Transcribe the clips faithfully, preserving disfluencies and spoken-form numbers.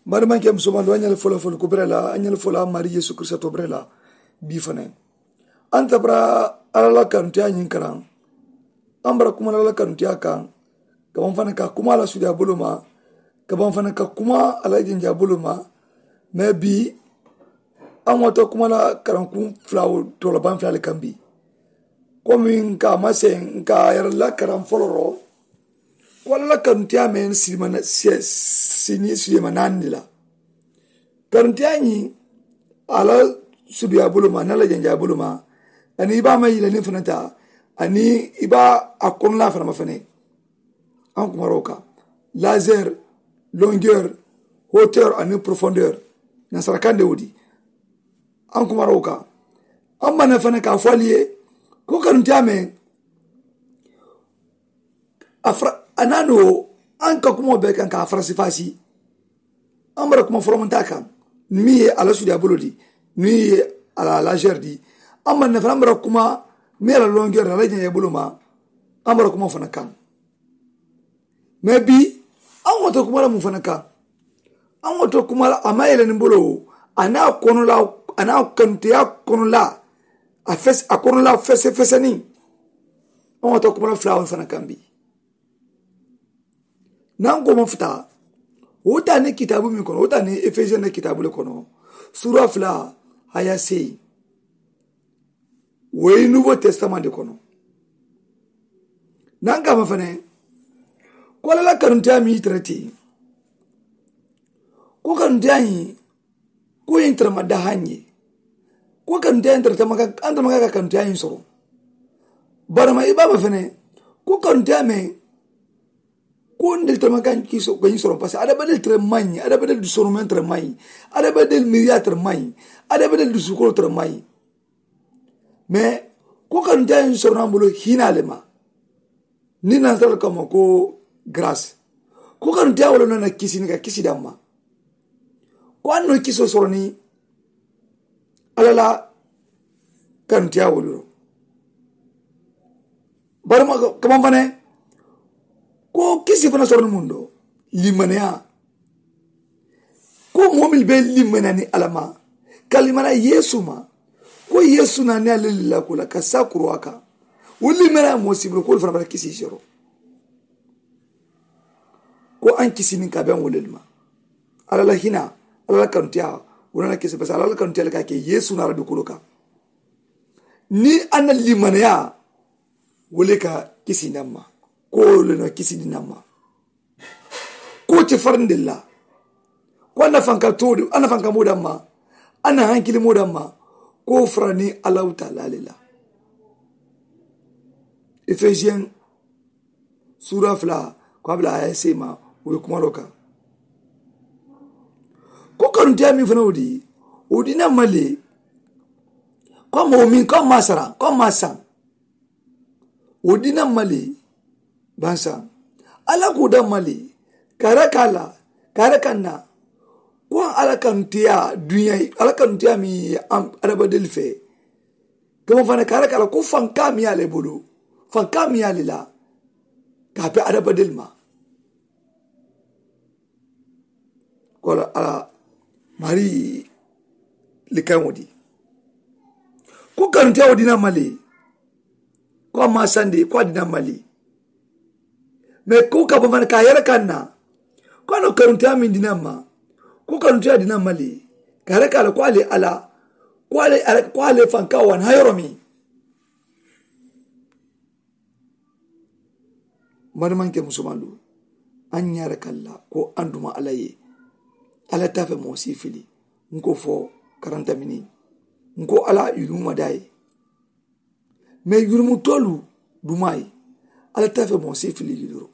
Mari maŋ ke musomandu a ñali fo la fo la kubere la a ñali fo la mari yesu kiristato bere la. Bii fanaŋ a nta bara alla la kanuteyaa ñiŋ karaŋ. A mu bara kuma la alla la kanuteyaa kaŋ. Ka baŋ fanaŋ ka kuma a la suudiyaa boloo ma. Ka baŋ fanaŋ ka kuma a la jenjaa boloo ma. Mee bii a ŋota kuma la karankuŋ fula wo toola baŋ fula le kaŋ bii. Komi nka a maseŋ nka a yere la karaŋ foloro. Ko alla la kanuteyaa meŋ silimana siniŋ siyema naani la. Kanuteyaa ñiŋ a la suudiyaa boloo ma niŋ a la jenjaa boloo ma. Aniŋ i be a maŋ yila niŋ fanaŋ taa aniŋ i be a kono la a fanaŋ ma fanaŋ. An kumaroo kaŋ lazer, longueur, hauteur aniŋ profondeur. Nansara kaŋ de wo di an kumaroo kaŋ. An maŋ na fanaŋ ka a fo ali ye ko kanuteyaa meŋ a fara a naanoo an ka kumoo bee kaŋ ka a farasi faasi. An bara kuma foromantaa kaŋ miŋ ye a la suudiyaa boloo di miŋ ye a la lazer di. An maŋ na fanaŋ an bara kuma miŋ ye a la longueur a la jenjaa boloo ma. An bara kuma fanaŋ kaŋ. Mee bii an ŋoto kuma la muŋ fanaŋ kaŋ. An ŋoto kuma la a maŋ yele niŋ boloo a niŋ a kono la a niŋ a kanuteyaa kono la. A fes a kono la fese fese niŋ an ŋoto kuma la fulaawolu fanaŋ kaŋ bii. Niŋ a ko ma futa wo taa niŋ kitaabu meŋ kono wo taa niŋ efesiyeŋ na kitaabu le kono. Suura fula a ye a seyi. Wo ye nuuwo tesitamaŋ de kono. Niŋ a ko a ma fanaŋ ko alla la kanuteyaa meŋ i tara teŋ ko kanuteyaa ñiŋ ko ñiŋ tara ma dahaŋ ye. Ko kanuteyaa ñiŋ tara tama ka an tama ka kanuteyaa ñiŋ soro. Barama i be a ma fanaŋ ko kanuteyaa meŋ ko ntelu tara ma ka ñiŋ soro parce que adamadiŋ tara maŋ ñiŋ adamadiŋ dusonumeŋ tara maŋ ñiŋ adamadiŋ miiriyaa tara maŋ ñiŋ adamadiŋ dusukoloo tara maŋ ñiŋ. Mee ko kanuteyaa ñiŋ soronaŋ bulu hinaa le ma. Niŋ nansara le ko a ma ko garasi ko kanuteyaa wo le noo na kisini ka kisi daŋ ma. Ko a noo kisoo soronaŋ alla la kanuteyaa wo le noo. Bari ma kamaŋ fanaŋ ko kisi fanaŋ soronaŋ muŋ do limaniyaa. Ko moo mennu be limaniyaa niŋ alla ma ka limaniyaa yeesu ma ko yeesu naa niŋ a le lillaa ko la ka saa kuruwaa kaŋ. Wo limaniyaa moo siibuloo ko wolu fanaa bata kisii sero. Ko a ye n kisi niŋ ka beŋ wo le le ma. Alla la hinaa alla la kanuteyaa wo le la kisi basa alla la kanuteyaa le ka a ke yeesu naa la dukuloo kaŋ. Niŋ a na limaniyaa wo le ka kisi naŋ ma. Ko wo le noo kisi di naŋ ma. Ko wo te farandi la ko a nafanka too de a nafanka moo daŋ ma. A na hankili moo daŋ ma ko wo farani allahu taala le la. Efesiyeŋ suura fula ko a bula a ye seema wo ye kumaloo kaŋ. Ko kanuteyaa meŋ fanaŋ wo di wo di naŋ ma le. Ko a moo meŋ ko a maa sara ko a maa saŋ. Wo dina mali bansa. Alla ko da mali kare kala kare kanna. Ko alla kan tiya duniya alla kan tiya mi. Adabadel fe kama fana kare kala ko fanka mi ale bolo fanka mi ale la. Kape adabadel ma. Ko ala ala mari likaŋo di. Ko kanuntiya wo dina mali. Ko a ma sandi ko a dina mali. Mais ko ka bamana ka yere kanna ko a no kanuntiya min dina ma. Ko kanuntiya dina mali ka yere kala ko ale ala ko ale fanka wan hayoro mi. Mari maŋ ke musomandu. Aŋ ñaara kalla ko aŋ duma alla ye. Alla tafe moo si fili. Ŋ ko fo karanta mini. Ŋ ko alla yuruma da ye. Mais yurumu tolu duma ye. Alla tafe moo si fili yururo.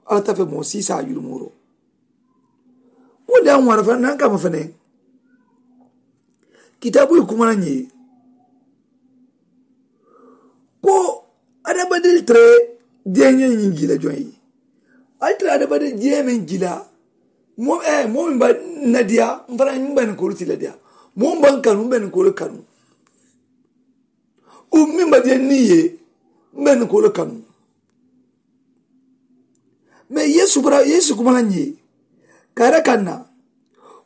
Alla tafe moo si sa yurumuro. Ko de aŋ wara fana naŋ kama fana. Kitabu ye kuma na ñe. Ko adabadeli tere diyañe ñiŋ gila joŋ ye. Ali tere adabadeli diyañe meŋ gila. Moo eh moo meŋ ba nadiya mfana ñiŋ ba ni kolu ti ladiya. Moo ba kanu mbe ni kolu kanu. O meŋ ba diya ni ye mbe ni kolu kanu. Mais yesu bara yesu kuma na ñe. Kare kanna.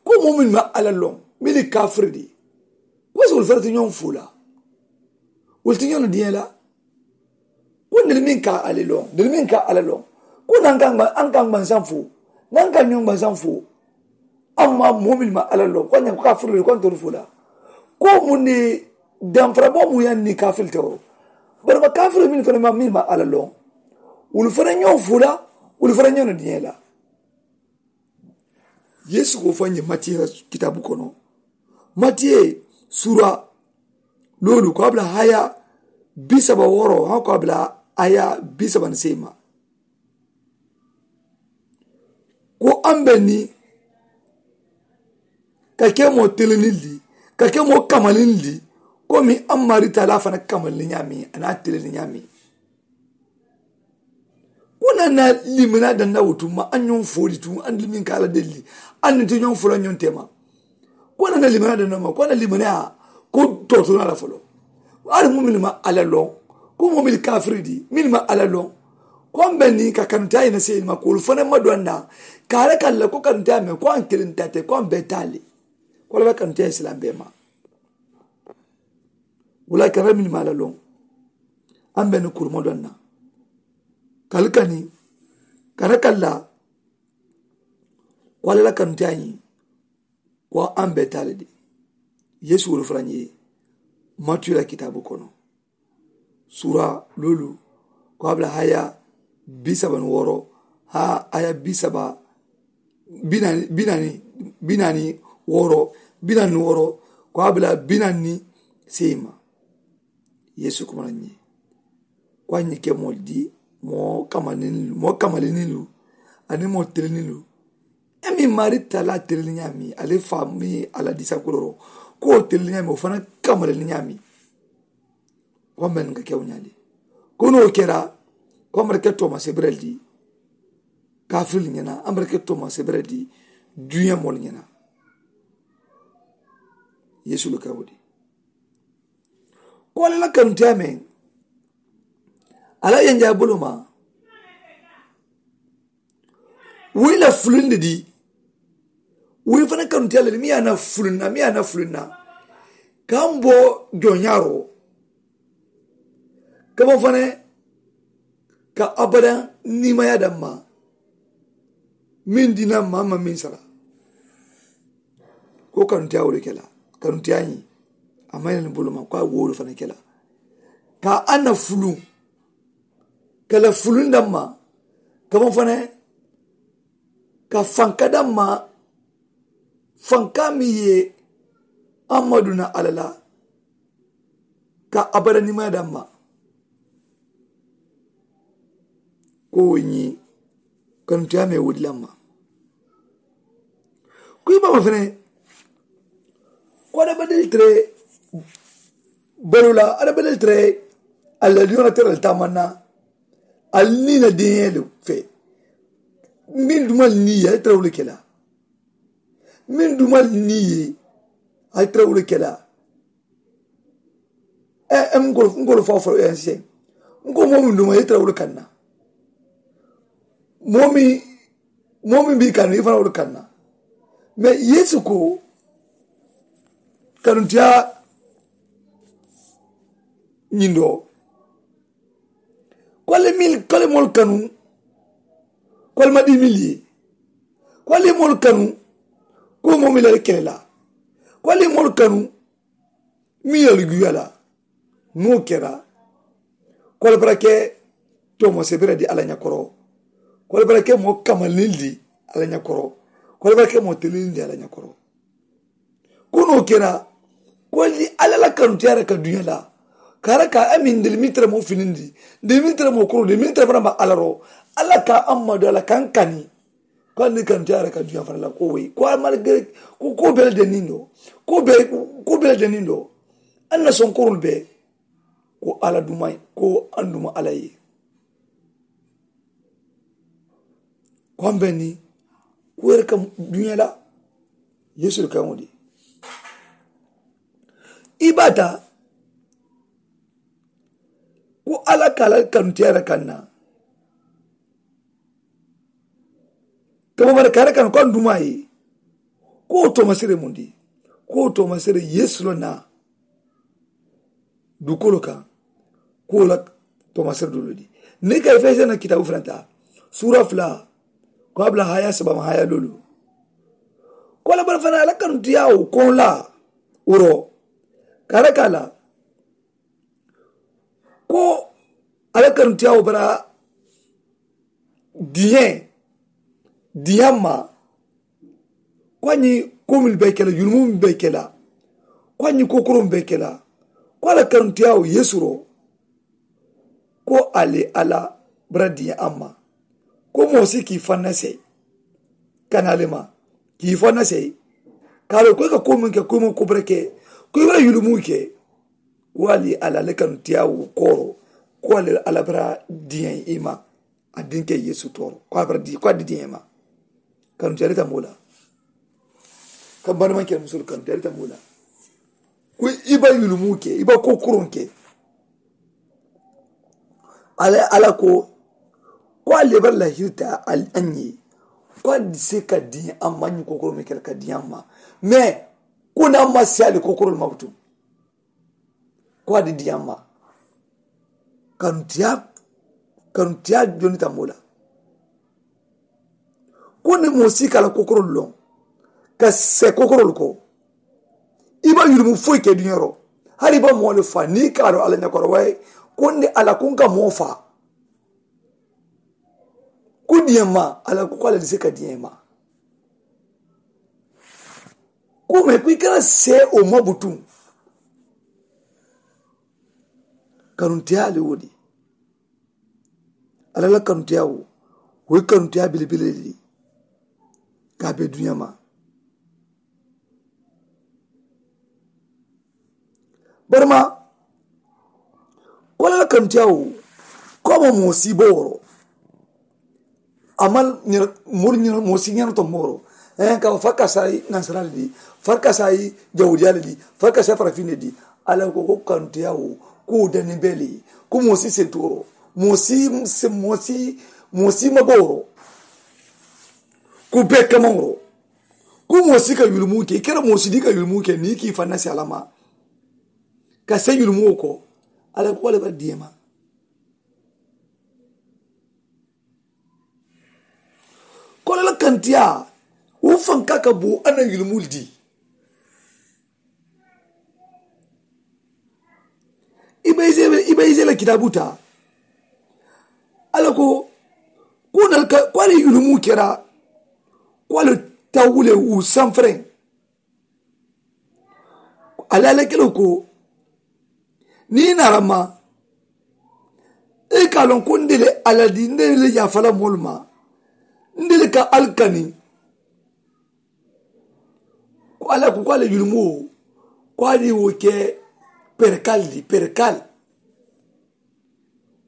Ko moo mennu maŋ alla loŋ mennu ye kaafiri dii, ko si wolu fanaŋ ti ñoŋ fula? Wolu ti ñoŋ na diŋ ye la? Ko ntelu meŋ ka alla loŋ ntelu meŋ ka alla loŋ, ko naŋ ka n gbaŋ saŋ fo naŋ ka ñoŋ gbaŋ saŋ fo. Amma moo mennu maŋ alla loŋ ko a ñaŋ ko kaafiri le ko a ntolu fula. Ko muŋ ne damfara boo mu yaŋ niŋ kaafiri te wo? Bari ma kaafiri mennu fanaŋ maŋ mennu maŋ alla loŋ, wolu fanaŋ ñoŋ fula. Wolu fanaŋ ñoŋ na diŋ ye la? Yeesu ko faŋ ye matiye la kitaabu kono, matiye suura loolu ko a bula haya bisaba wooro haŋ ko a bula haya bisaba ni seema. Ko a mbe ni ka ke moo teleniŋ li ka ke moo kamaliŋ li, komi a maari taalaa fanaŋ kamaliŋ ñaameŋ a naa teleniŋ ñaameŋ. Ko na na limaniyaa daŋ na wo tuma a ñoŋ fo li tuma a ni limin ka a la delli a ni ti ñoŋ fo la ñoŋ tema. Ko na na limaniyaa daŋ na ma ko na limaniyaa ko tooto na la folo. Ari mu minnu ma a la loŋ ko moo minnu kaafiri di minnu ma a la loŋ. Ko n be ni ka kanuta ye na seyilima ko olu fana ma do a na ka a la ka la ko kanuta me ko a n kelen ta te ko a n be taali. Ko la kanuta ye silaŋ be ma wula kana minnu ma a la loŋ. A n be ni kurumo do a na ka li kani kana ka la ko a la la kanuta ye. Ko a n be taali de yeesu wolu fanaŋ ye matiyu la kitaabu kono suura loolu ko a bula haya bisaba ni wooro ha haya bisaba binaani binaani binaani wooro binaani wooro ko a bula binaani seema. Yeesu kuma la ñiŋ ko a ñiŋ ke moolu di moo kamalinilu moo kamalinilu aniŋ moo telinilu. E miŋ maari talaa telini ñaami ali faa miŋ ye alla diisa kuloro ko wo telini ñaami wo fanaŋ kamalini ñaami. Ko a mbe niŋ ka kewo ñaali ko niŋ wo kera ko a mbe ke tooma sebirel di kaafiril ñena a mbe ke tooma sebirel di duña moolu ñena. Yeesu le kewo di ko alla la kanuteya meŋ alla ye n jaa bulu ma. Wo i la fulunde di wo i fanaŋ kanuteya le di miŋ ye a na fulunna miŋ ye a na fulunna ka n bo joñaaroo ka bo fanaŋ ka abada niimaya daŋ ma. Meŋ dina maa ma meŋ sara ko kanuteya wo le ke la kanuteya ñiŋ a maŋ ye la ni bulu ma ko a wo wo le fanaŋ ke la ka a na fuluŋ ka la fuluŋ daŋ ma ka bo fanaŋ ka fanka daŋ ma fanka meŋ ye a ma duna alla la ka abada niimaya daŋ ma. Ko wo ñiŋ kanuteya meŋ wo di laŋ ma. Ko i baama fanaŋ ko adamadiŋ tere baloo la adamadiŋ tere alla diŋo la tere la taamaŋ na. Ali niŋ i la diŋolu fee meŋ duma ali niŋ i ye ali tara wo le ke la. Meŋ duma ali niŋ i ye ali tara wo le ke la. Ee n ko n ko le fo fo ee n se n ko moo meŋ duma i ye tara wo le kaŋ na. Moo meŋ moo meŋ be i kaŋ na i fanaŋ wo le kaŋ na. Mais yeesu ko kanuteya ñiŋ doo ko ali mil ko ali moolu kanu ko ali ma dii mil ye ko ali ye moolu kanu ko moo mil ali kele la ko ali ye moolu kanu. Miŋ ye ali juya la niŋ wo kera ko ali bara ke toomo sebere di alla ñakoro ko ali bara ke moo kamaliniŋ di alla ñakoro ko ali bara ke moo teliniŋ di alla ñakoro. Ko niŋ wo kera ko ali alla la kanuteyaari ka duña la ka alla ka a miŋ ntelu miŋ tara moo filindi ntelu miŋ tara moo koro ntelu miŋ tara barama alla ro alla ka a ma do alla kaŋ kani. Ko a ni kanuteyaari ka duña fana la ko woyi ko a malgere ko ko bele de niŋ do ko be ko bele de niŋ do. Alla na sonkorolu be ko alla duma ko an duma alla ye. Ko an be ni ko yere kam duña la yeesu le kaŋo di i bata ko alla ka alla kanuteyaari kaŋ na. Ka bo bari ka yere kaŋ ko an duma ye Ko wo toomasere mundi? Ko wo toomasere yeesu la naa dukoolu kaŋ. Ko wo la toomasere duloo di. Niŋ ka efesiyana kitaabu fanata suura fula ko a bula haya saba ma haya lolu. Ko a la bala fanaa a la kanutiyaawo koŋ la wuro ka a la ka a la ko a la kanutiyaawo bara diiyeŋ diiyaŋ ma. Ko a ñiŋ ko minnu be ke la yulumu minnu be ke la ko a ñiŋ ko koroŋ be ke la ko a la kanutiyaawo yeesu ro. Ko ali a la bara diiyaŋ a ma ko moo si ka i fanna seyi ka naa le ma ka i fanna seyi ka a loŋ ko i ka ko minnu ke ko i maŋ ko bara ke ko i bara yulumu ke. Ko ali a la le kanutiyaawo kooro ko ali a la bara diiyaŋ i ma. A dinke yeesu tooro ko a bara di ko a di diiyaŋ i ma. Kanutiyaalu ta moo la ka bari maŋ ke musolu kanutiyaalu ta moo la. Ko i ba yulumu ke i ba ko koroŋ ke. Ala ala ko ko a lebari la hirita a ñe ko a se ka diŋ a ma ñiŋ kokoro me kela ka diŋ a ma. Mais ko na ma se ali kokoro ma butu ko a di diŋ a ma. Kanutiya kanutiya joni ta moo la. Ko ni moo si ka la kokoro loŋ ka se kokoro ko i ba yulumu foyi ke duñaro. Hari i ba moo le fa ni ka do ala ñakoro way ko ni ala kun ka moo fa ku diɲɛ ma ala ku ala dise ka diɲɛ ma. Ku me ku i kana se o ma butu. Kanuntiya le wodi ala la kanuntiya wo wo kanuntiya bilibili le. Ka be duɲa ma barima kola la kantiya wo ko mo mo si boro amal mur mo si nyano to moro en ka fa ka sai nansara di fa ka sai jawdiya di fa ka sai farafine di ala ko ko kantiya wo ko dani beli ko mo si sentoro mo si mo si mo si maboro. Ku be kamawuro ku moo si ka yulumu ke i kera moo si di ka yulumu ke ni ki fanna si alama ka se yulumu ko ala ko le ba diyema. Ko la kantiya wo fanka ka bo ana yulumu di. I be i be i be la kitaabu taa ala ko ko nal ka ko ale yulumu kera ko ale tawule wu sanferen. Ala ale kelo ko ni narama i ka lon ko ndele ala di ndele ya fala molma ndele ka alkani. Ko ala ko ko ala yulumo ko ali wo ke perkal di perkal.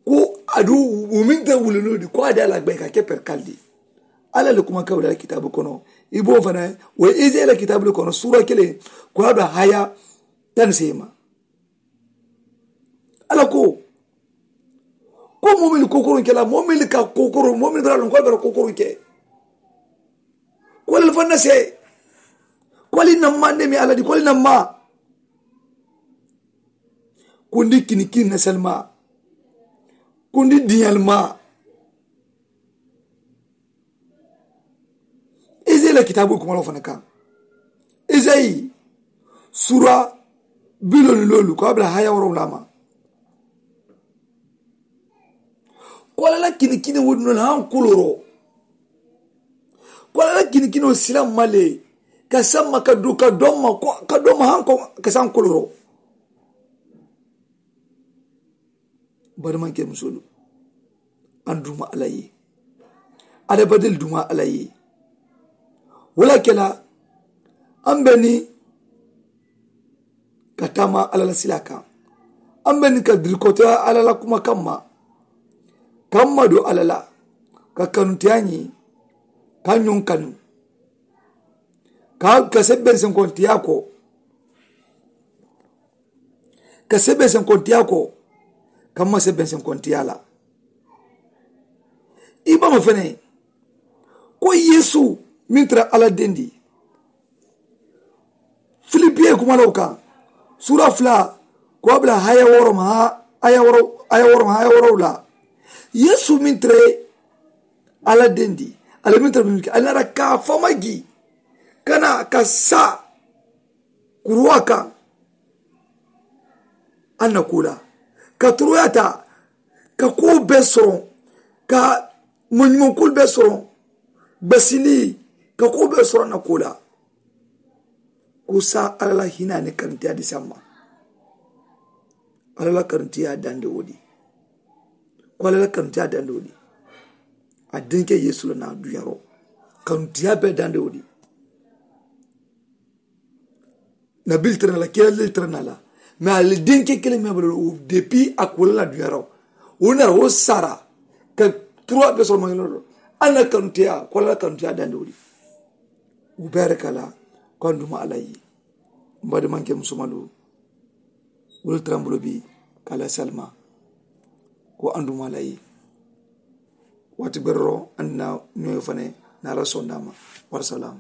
Ko adu wuminta wulinu di ko adi ala gbe ka ke perkal di. Ala le kuma kawla kitabu kono i bo fana wo izela kitabu kono sura kele ko adu haya tan sema. Ala ko ko momili kokoron kela momili ka kokoron momili dara lon ko dara kokoron ke. Ko le fanna se ko le namma ne mi ala di ko le namma. Kundi kini kini na salma kundi diyalma. Ezeyi la kitaabu kuma la wo fana kaŋ ezeyi sura bilolu loolu ko a bula haya woro wulama. Ko ala la kini kini wudunolu haŋ kuloro ko ala la kini kini wo silaŋ ma le ka samma ka du ka domma ko ka domma haŋ ko ka saŋ kuloro. Barimanke musolu an duma ala ye. Adabadil duma ala ye. Wala kela an beni ka tama ala la sila kan an beni ka dirikota ala la kuma kamma kamma do ala la ka kanutiya ñi ka ñon kanu ka ka sebben senkontiya ko. Ka sebe senkontiya ko ka ma sebe senkontiya la. I bama fene ko yesu min tara ala dendi Piye kumalaw kaŋ suura fula ko a bila haya wooro ma haya wooro haya wooro ma haya wooro la. Yesu min tare ala dendi ala min tare min ke ala nara ka fama gi kana ka sa kuruwa kaŋ. An na kula ka turuya ta ka ko be soroŋ ka moɲumankulu be soroŋ basili ka ko be soroŋ na kula. Kusa ala la hina ni karintiya di samma. Ala la karintiya dande wodi ko ala la karintiya dande wodi. A dinke yesu la na duyaro karintiya be dande wodi. Nabil tara na la kila lil tara na la mais ali dinke kele me balo depi a kula la duyaro. Wona wo sara ka trois be soro ma yelo. Ana karintiya ko ala la karintiya dande wodi. Ubarikala ko anduma alayi. Mbadi manke musumalu wulu tarambulo bi kala salma ko anduma alayi. Wati berro anna ñoyo fane na ala sondama. Warsalam.